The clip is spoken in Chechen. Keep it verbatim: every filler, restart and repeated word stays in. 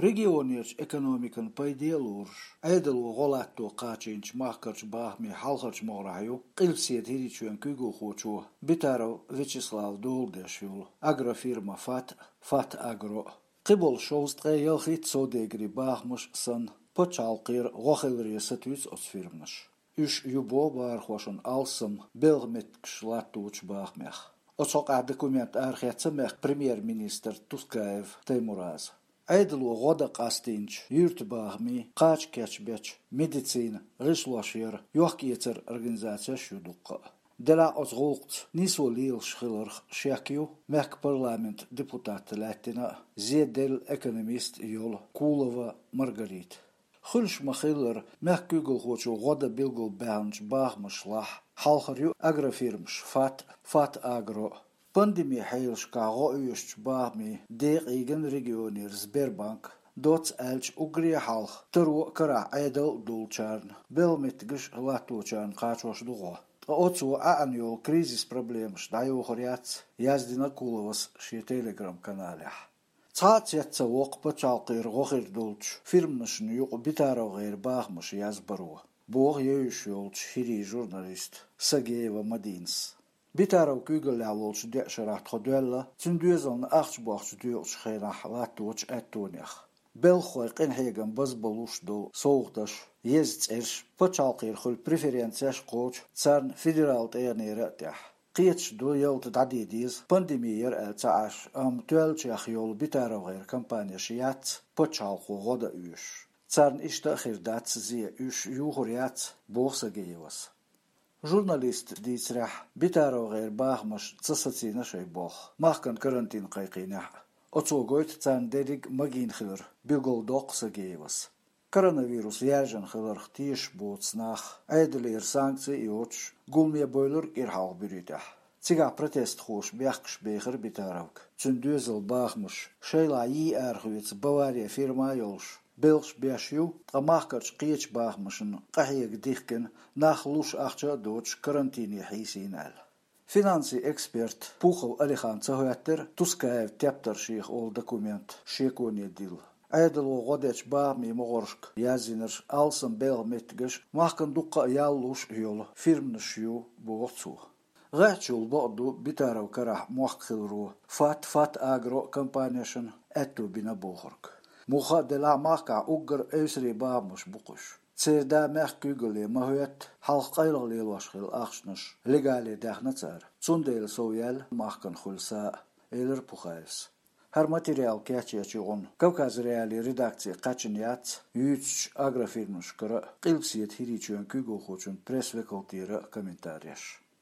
Регионерчу экономикана пайде а лоруш, Ӏедало гӀо латто кхачийначу махкарчу бахамийн хьалхарчу могӀарехь ю Къилбаседа ХӀирийчоьнан куьйгалхочо Битаров Вячеслава дола деш йолу агрофирма «Фат», «Фат Агро». Кхиболу шовзткъе ялхитта совдегарийн бахамаш а санна, пачхьалкхера гӀо хиларе сатуьйсу оцу фирманаша. Уьш ю боху бахархошна алсам белхан меттигаш латточу бахамех. Оцу хьокъехь документ арахецна мехкан премьер-министра Тускаев Таймураза. Ӏедало гӀо дан къастийначу юьртан бахамийн, кхача кечбечу, медицина, гӀишлош яран, йохк-эцаран организацеш а ю дуккха а. Делахь оцу гӀуллакхца нисо лелаш хиларх шек ю мехкан парламентан депутатца лаьттина а, зеделла экономист а йолу Кулова Маргарита. Хуьлуш ма-хиллара, мехкан куьйгалхочо гӀо дан билгалбаьхначу бахамашлахь хьалхара ю агрофирмаш «Фат», «Фат Агро». Пандемин хьелашкахь гӀо оьшучу бахамийн декъий гина регионера Сбербанк, доцца аьлча, уггаре а хьалха таро а, карахь Ӏедал а долчарна, белхан меттигаш а латточарна кхачош ду гӀо. Ткъа оцо Ӏаьхьна йолу кризис проблемаш дӀайохур яц, яздина Куловас шен Telegram-каналехь. Цхьа а цец ца воккху пачхьалкхера гӀо хир долчу фирманашна юкъа БитаровгӀеран бахамаш язбаро, боху евзаш йолчу хӀирийн журналиста Сагеева Мадинас. Битаров куьйгаллехь волчу деа шарахь тхо доьлла цуьнан доьзална ахча бохча доькъучу хенахь латточу аьттонех. Белхахойн къинхьегам базбалуш долу совгӀаташ, еза цӀерш, пачхьалкхера хуьлу преференцеш кхочу царна федералан тӀегӀанера а тӀехь. Кхеташ ду, ялта дӀадийр деза, пандеми яра аьлла ца Ӏаш, амма тоьллачех йолу БитаровгӀеран компанеш яц пачхьалкхо гӀо дан оьшуш. Царна иштта а хир дац зен, уьш юхур яц, боху Сагеевас. Журналисташа дийцарехь, БитаровгӀеран бахамаша ца сацийна шайн болх махкана карантин кхайкхийнехь а. Оцо гойту царна дерриг а магийна хилар, билгалдоккху Сагеевас. Коронавирус яьржина хиларх тешаш боцу нах, Ӏедалера санкци а йоцуш, гуламе бевлира кӀира хьалха буьрий тӀехь. Цигахь протестхоша бехкаш бехира Битаровга. Цуьнан доьзалан бахамаш шайлахь йий арахоьцу «Бавария» фирма а йолуш, белхаш беш ю, ткъа махкарчу кхечу бахамашна къахьега дихкина, нах луш ахча а доцуш, карантине хьийсийна аьлла. Финансийн эксперт Пухов Алихана ца хӀоьттира Тускаевн тептаршех олу документ шеконе дилла. Ӏедало гӀо дечу бахамийн могӀаршка язйинарш алсам белхан меттигаш махкана дуккха а ял луш а йолу фирманаш ю, боху цо. ГӀеххьачул бакъ ду Битаровн карахь мохк хиларо, «Фат», «Фат Агро» компанешна аьтто бина бохург. Муха а делахь, махкахь уггар а эвсарийн бахамаш бу кхуьш. Церан да мехкан куьйгалле ма хӀоьтту, хьалха къайлаха лелош хилла ахчанаш легале даьхна цара. Цундела сов яьлла махкана хуьлу са а, элира Пухаевс. ХӀара материал кечъечу гӀуна Кавказ Реалии редакци кхаьчна яц юьйцучу агрофирмашкара а, Къилбаседа ХӀирийчоьнан куьйгалхочун пресс-векалтера а комментареш.